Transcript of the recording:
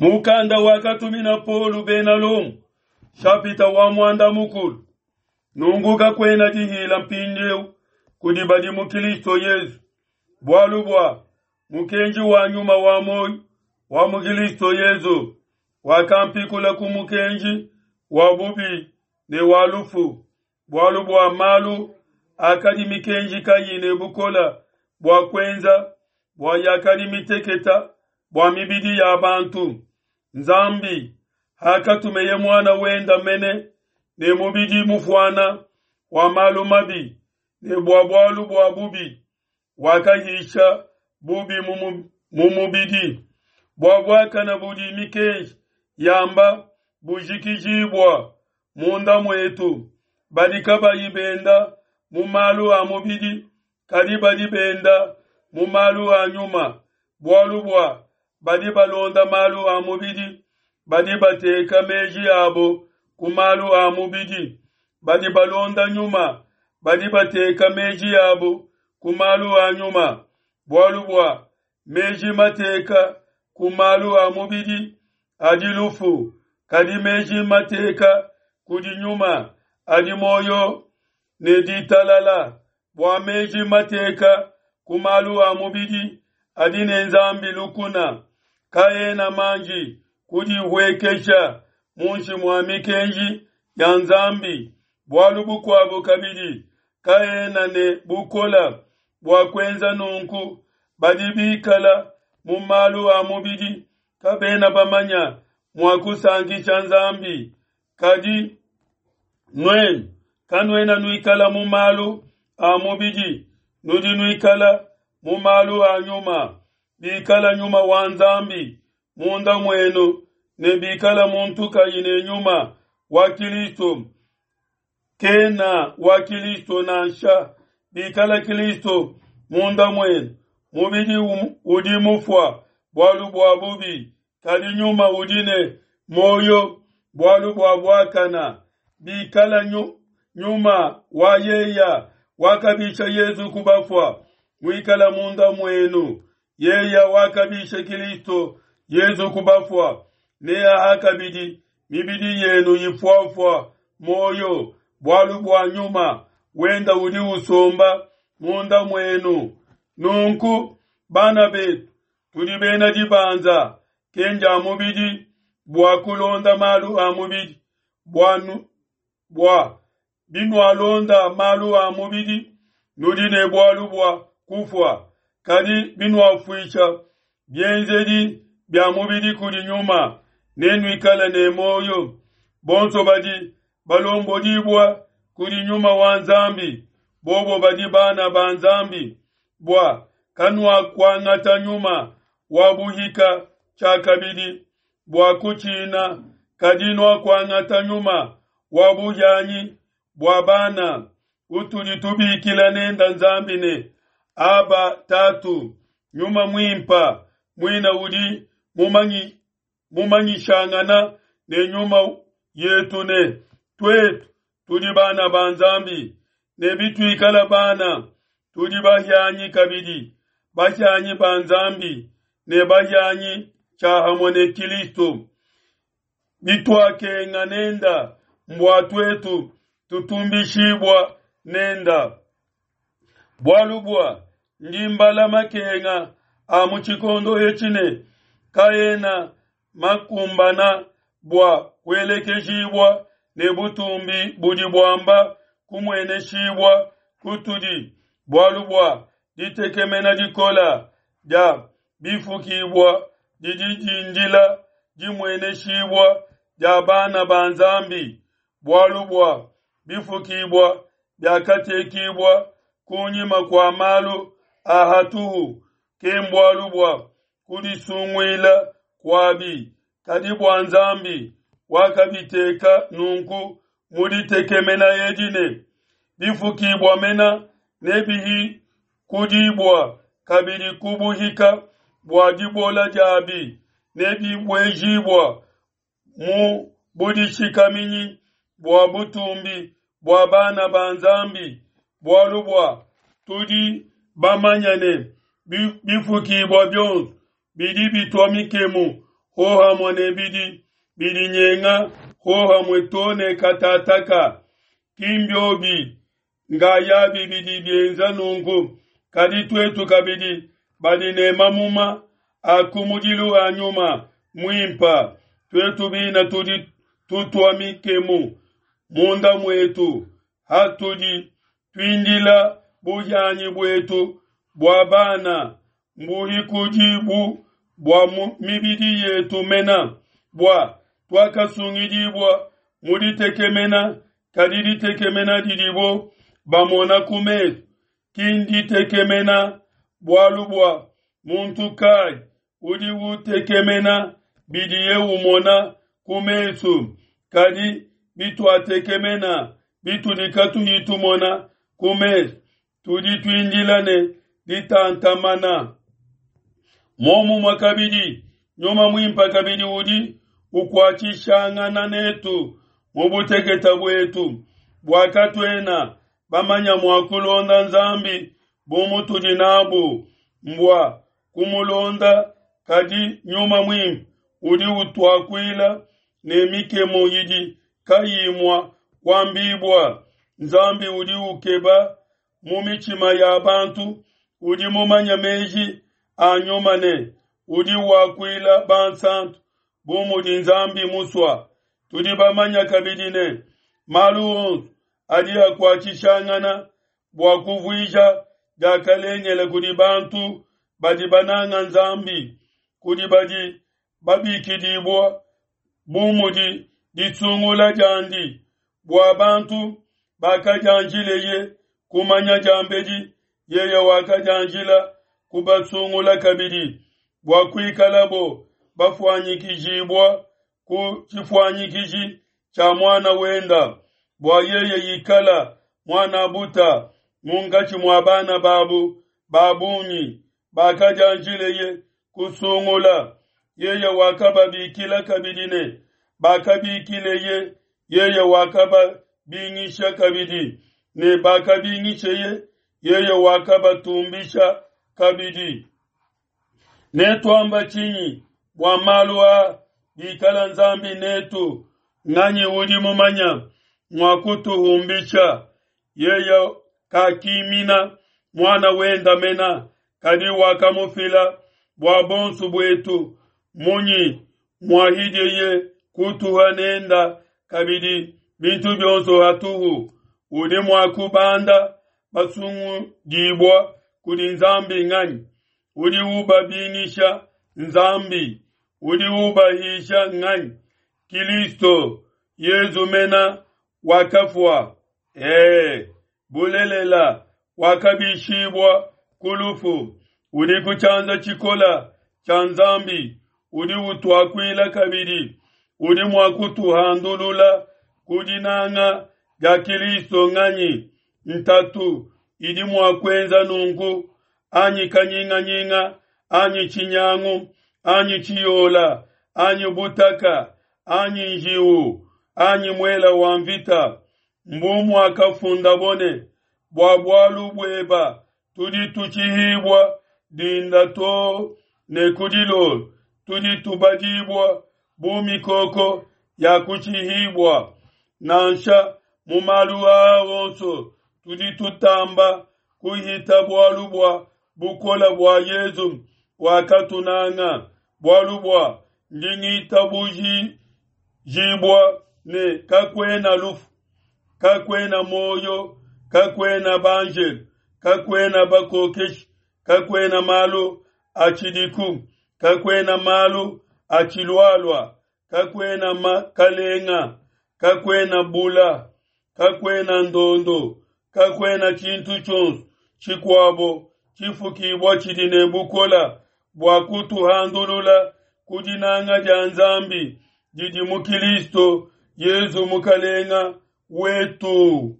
Mukanda wakatumina Paulo bena Lomo, shapita wa muanda mukulu. Nunku kakuena dihila mpindieu kudi badi mu Kristo Yezu, bualu bua mukenji wa nyuma wa muoyo wa mu Kristo Yezu wakampikula ku mukenji wa bubi ne wa lufu, bualu bua malu akadi mikenji kayi ne bukole bua kuenza, bua yakadi miteketa bua mibidi ya bantu. Nzambi hakatumeye muana wenda mene ne mubidi mufuana wa malu mabi ne bua bualu bua bubi, wakahisha bubi mu mubidi, bua buakana budi mikenji yamba bujikijibua munda muetu, badi kabayi benda mu malu a mubidi, kadi badi benda mu malu a nyuma, bualu bua badi balonda malu a mubidi, badi bateka meji abo ku malu a mubidi, badi balonda nyuma, badi bateka meji abo ku malu a nyuma, bualu bua meji mateka ku malu a mubidi adi lufu, kadi meji mateka kudi nyuma adi muoyo ne ditalala, bua meji mateka ku malu a mubidi adi ne Nzambi lukuna, kaena manji kudihuekesha munshi mua mikenji ya Nzambi, bualu bukuabo kabidi kaena ne bukole bua kuenza nunku. Badi bikala mu malu a mubidi kabena bamanya mua kusankisha Nzambi. Kadi nuenu kanuena nuikala mu malu a mubidi, nudi nuikala mu malu a nyuma, bikala nyuma wa Nzambi munda muenu, ne bikala muntu kayi ne nyuma wa Kristo, kena wa Kristo nansha. Bikala Kristo munda muenu, mubidi udi mufua bualu bua bubi, kadi nyuma udi ne muoyo bualu bua buakana. Bikala nyuma wa yeya wakabisha Yezu ku bafua muikala munda muenu, yeya wakabisha Kristo Yezu ku bafua, neaha kabidi mibidi yenu ifuafua muoyo, bualu bua nyuma wenda udi usomba munda muenu. Nunku bana betu, tudi bena dibanza kenja mubidi bua kulonda malu a mubidi, bua binualonda malu a mubidi nudi ne bualu bua kufua, kadi binuafuisha bienzedi bia mubidi kudi nyuma, nenuikale ne muoyo. Bonso badi balombodibua kudi nyuma wa Nzambi, bobo badi bana ba Nzambi. Bua kanuakuangata nyuma wa buhika tshiakabidi bua kutshina, kadi nuakuangata nyuma wa buhianyi bua bana, utudi tubikila nenda Nzambi ne Aba Tatu. Nyuma mwimpa muina udi mumanyishangana ne nyuma yetu ne tuetu tudi bana ba Nzambi, ne bituikala bana tudi bahianyi kabidi, bahianyi ba Nzambi ne bahianyi tshiahamue ne Kristo. Bituakenga nenda mbua tuetu tutumbishibua nenda. Bualu bua ndi mbala makenga a mu tshikondo etshi ne kaena makumbana bua kuelekejibua ne butumbi budi buamba kumueneshibua kutudi, bualu bua ditekemena dikola dia bifukibua didi dindila dimueneshibua dia bana ba Nzambi, bualu bua bifukibua biakatekibua kunyima kua malu a hatuhu, kembualu bua kudisunguila kuabi, kadi bua Nzambi wakabiteka nunku mu ditekemena edi ne bifukibua mena nebihikudibua kabidi ku buhika bua dibola diabi, nebibuejibua mu budishikaminyi bua butumbi bua bana ba Nzambi, bualu bua tudi bamanya ne bifukibua bionso bidi bitua mikemu. hohamue ne bidi bidinyenga hohamue to ne katataka. Ki mbiobi ngayabi bidi bienza nunku, kadi tuetu kabidi badi ne mamuma a kumudilu a Nyuma Muimpa, tuetu bina tudi tutua mikemu munda muetu hatudi tuindila buhianyi buetu bua bana mbuhikudibu bua mibidi yetu mena, bua tuakasungidibua mu ditekemena, kadi ditekemena didibo bamona ku mesu ki nditekemena, bualu bua muntu kai udi utekemena bidiye umona ku mesu? Kadi bituatekemena bitudi katuyi tumona ku mesu, tudi tuindila ne ditantamana. Momumue kabidi, Nyuma Muimpe kabidi udi ukuatshishangana netu mu butekete buetu, bua katuena bamanya mua kulonda Nzambi bu mutudi nabu mbua kumulonda, kadi Nyuma Muimpe udi utuakuila ne mikemu idi kayiyi mua kuambibua. Nzambi udi ukeba mu mitshima ya bantu, udi mumanye meji a Nyuma ne udi wakuila bansantu bu mudi Nzambi musua. Tudi bamanya kabidi ne malu onso adi akuatshishangana bua kuvuija diakalengele kudi bantu badi bananga Nzambi, kudi badi babikidibua bu mudi disungula diandi, bua bantu bakadianjileye kumanya diambedi, yeye wakadianjila kubasungula kabidi bua kuikalabo bafuanyikijibua ku tshifuanyikiji tshia muana wenda, bua yeye ikala muan'abuta munkatshi mua bana babu ba bungi bakadianjileye kusungula. Yeye wakababikila kabidi ne bakabikileye, yeye wakababingisha kabidi ne bakabingisheye, yeye wakabatumbisha kabidi. Netuamba tshinyi bua malu aa? Bikala Nzambi netu, nganyi udi mumanya mua kutuhumbisha? Yeye kakimina muana wenda mena, kadi wakamufila bua bonso buetu. Munyi muahidieye kutuha nenda kabidi bintu bionso hatuhu? Udi mua kubanda basungudibua kudi Nzambi nganyi? Udi ubabingisha Nzambi, udi ubahisha nganyi? Kilisto Yezu mena wakafua, bulelela wakabishibua ku lufu, udi ku tshianza tshikola tshia Nzambi, udi utuakuila kabidi, udi mua kutuhandulula ku dinanga dia Kilisto nganyi? Ntatu idi mua kuenza nunku, anyi kanyinganyinga, anyi tshinyangu, anyi tshiyola, anyi butaka, anyi njiwu, anyi muela wa mvita. Mbu muakafundabo ne, bua bualu bueba tudi tutshihibua dinda too ne ku dilolo, tudi tubadibua bu mikoko ya kutshihibua. Nansha mu malu aa onso tudi tutamba kuhita bualu bua bukola bua Yezu wakatunanga, bualu bua ndi ngitabujibua ne kakuena lufu, kakuena moyo, kakuena banjelu, kakuena bakokeshi, kakuena malu atshidiku, kakuena malu atshilualua, kakuena makalenga, kakuena bula, kakuena ndondo, kakuena tshintu tshionso tshikuabo tshifukibua tshidi ne bukola bua kutuhandulula ku dinanga dia Nzambi didi mu Kilisto Yezu Mukalenga wetu.